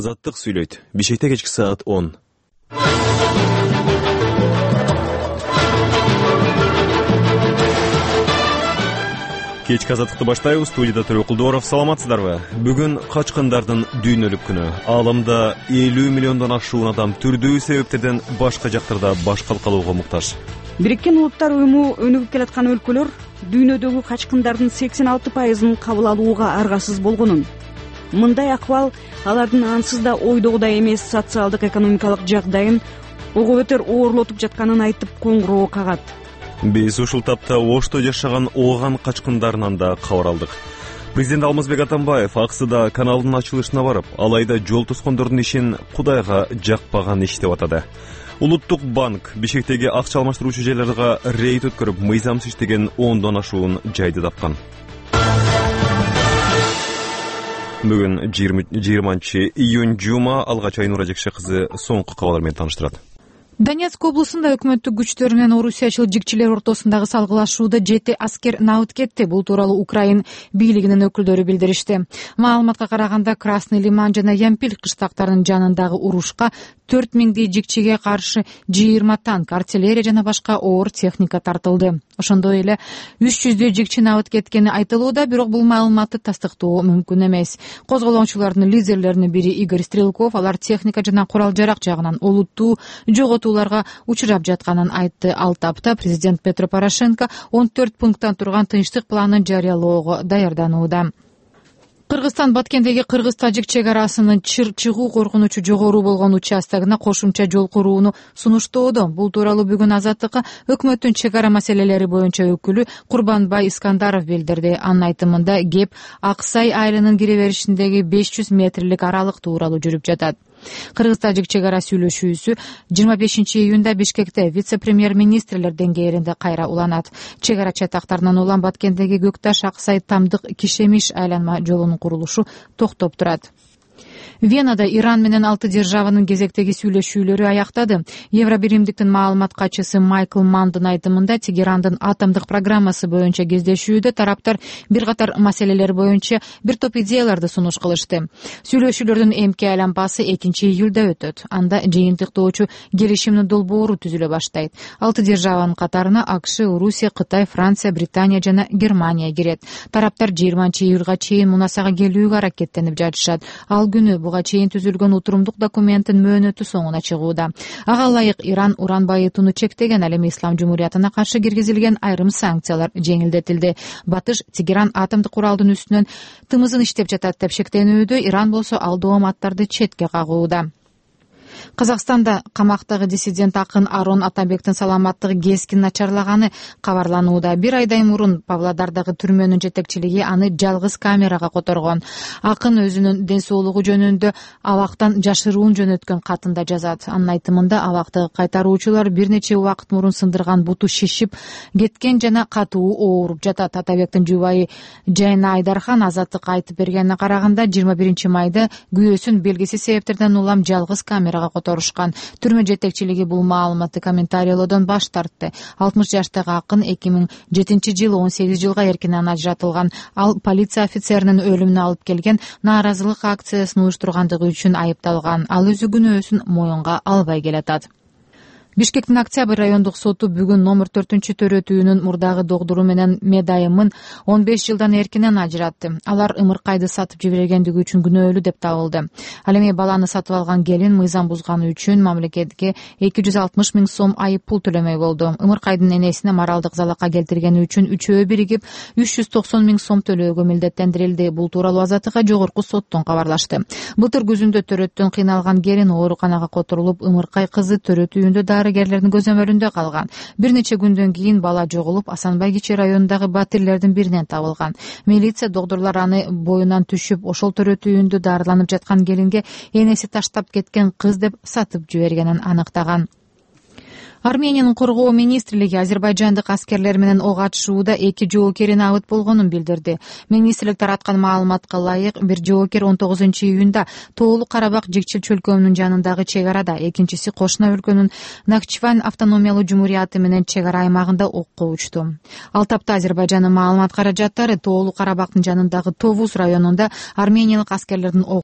Азаттык сүйлөйт. Бишкекте кечки саат 10. Кечки азаттыкты баштайбыз. Студияда Төрө Кулдуоров. Саламатсыздарбы? Бүгүн качкындардын дүйнөлүк күнү. Ааламда 50 миллиондон ашуун адам түрдүү себептерден башка жактарда баш калкалоого муктаж. Бириккен Улуттар уюму өнүгүп келаткан өлкөлөр дүйнөдөгү качкындардын 86%-ын кабыл алууга аргасыз болгонун, мындай акыбал алардын ансыз да ойдогудай эмес социалдык экономикалык жагдайын ого бетер оорлотуп жатканын айтып коңгуроо кагат. Биз ушул тапта Ошто жашаган Ооган качкындарынан да кабар алдык. Президент Алмазбек Атамбаев Аксыда каналдын ачылышына барып, алайда жол тоскондордун ишин Кудайга жакпаган иш деп атады. Улуттук банк Бишкектеги акча алмаштыруучу жайларга рейд өткөрүп, мыйзамсыз иштеген 10дон ашуун жайды тапкан. Бүгүн 20-июнь жума. Алгач Айнура Жекше кызы соңку кабарлар менен тааныштырат. Донецк облусунда өкмөттүк күчтөр менен орусиячыл жигчилер ортосундагы салгылашууда 7 аскер набыт кетти. Бул тууралуу Украин бийлигинин өкүлдөрү билдиришти. Маалыматка караганда Красный Лиман жана Ямпиль кыштактарынын жанындагы урушка 4000 жигчиге каршы 20 танк, артиллерия жана башка оор техника тартылды. Ошондой эле 300 жигчи набыт кеткени айтылууда, бирок бул маалыматты тастыктоо мүмкүн эмес. Козголоочулардын лидерлеринин бири Игорь Стрелков алар техника жана курал-жарак жагынан олуттуу жоготууларга учурап жатканын айтты. Ал тапта президент Петро Порошенко 14 пункттан турган тынчтык планын жарыялоого даярданууда. Кыргызстан Баткендеги кыргыз-тажик чек арасынын чыгуу коркунучу жогору болгон участогуна кошумча жол курууну сунуштоодо. Бул тууралуу бүгүн Азаттыкка өкмөттүн чек ара маселелери боюнча өкүлү Курбанбай Искандаров билдирди. Анын айтымында кеп Аксай айылынын кире беришиндеги 500 метрлик аралык тууралуу жүрүп жатат. Кыргыз-тажик чек ара сүйлөшүүсү 25-июнда Бишкекте вице-премьер-министрлер деңгээлинде кайра уланат. Чек ара чатактарынан улам Баткендеги Көкташ Аксай Тамдык Кишемиш айланма жолунун курулушу токтоп турат. Венада Иран менен 6 державанын кезектеги сүйлөшүүлөрү аяктады. Евробиримдиктин маалымат катчысы Майкл Мандын айтымында Тегерандын атомдук программасы боюнча кездешүүдө тараптар бир катар маселелер боюнча бир топ идеяларды сунуш кылышты. Сүйлөшүүлөрдүн эмки айланпасы 2-июлда өтөт. Анда жыйынтыктоочу келишимдин долбоору түзүлө баштайт. 6 державанын катарына АКШ, Орусия, Кытай, Франция, Британия жана Германия кирет. Тараптар 20-июлга чейин мунасага келүүгө аракеттенип жатышат. Ал күнү буга чейин түзүлгөн утурумдук документтин мөөнөтү соңуна чыгууда. Ага ылайык Иран уран байытууну чектеген, ал эми Ислам Жумуриятына каршы киргизилген айрым санкциялар жеңилдетилди. Батыш Тегеран атомдук куралдын үстүнөн тымызын иштеп жатат деп шектенүүдө, Иран болсо ал дооматтарды четке кагууда. Казакстанда камактагы диссидент акын Арон Атамбектин саламаттыгы кескин начарлаганы кабарланууда. Бир айдай мурун Павлодардагы түрмөнүн жетекчилиги аны жалгыз камерага которгон. Акын өзүнүн ден соолугу жөнүндө абактан жашыруун жөнөткөн катында жазат. Анын айтымында абактагы кайтаруучулар бир нече убакыт мурун сындырган буту шишип кеткен жана катуу ооруп жатат. Атабектин жубайы Жайна Айдархан Азаттыкка айтып бергенине караганда 21-майда күйөөсүн белгисиз себептерден улам жалгыз камерага которушкан. Түрмө жетекчилиги бул маалыматты комментариялоодон баш тартты. 60 жаштагы акын 2007-жылы 18 жылга эркинен ажыратылган. Ал полиция офицеринин өлүмүнө алып келген нааразылык акциясын уюштургандыгы үчүн айыпталган. Ал өзү күнөөсүн моюнга албай келатат. Бишкектин Октябрь райондук соту бүгүн номер 4-төрөтүүнүн мурдагы догдуру менен Медайымын 15 жылдан эркинен ажыратты. Алар ымыркайды сатып жибергендиги үчүн күнөөлүү деп табылды. Ал эми баланы сатып алган келин мыйзам бузганы үчүн мамлекетке 260 000 сом айып пул төлөмөй болду. Ымыркайдын энесине моралдык залака келтиргени үчүн үчөө биригип 390 000 сом төлөөгө милдеттендирилди. Бул тууралуу Азаттыкка жогорку соттон кабарлашты. Былтыр күзүндө төрөттөн кыйналган келин ооруканага которулуп, ымыркай кызы төрөтүүндө дарыгерлердин көзөмөлүндө калган. Бир нече күндөн кийин бала жоголуп, Асанбай Кичи районундагы батирлердин биринен табылган. Милиция докторлор аны боюнан түшүп, ошол төрөтүүндө дарыланып жаткан келинге энеси таштап кеткен кыз деп сатып жибергенин аныктаган. Армениянын коргоо министрлиги азербайжандык аскерлер менен ок атышууда 2 жоокери набыт болгонун билдирди. Министрлик тараткан маалыматка ылайык, бир жоокер 19-июнда Тоолу Карабак жигчил чөлкөмүнүн жанындагы чек арада, экинчиси кошуна өлкөнүн Нахчыван автономиялуу жумурияты менен чек ара аймагында окко учту. Ал тапта Азербайжандын маалымат каражаттары Тоолу Карабактын жанындагы Товуз районунда армениялык аскерлердин ок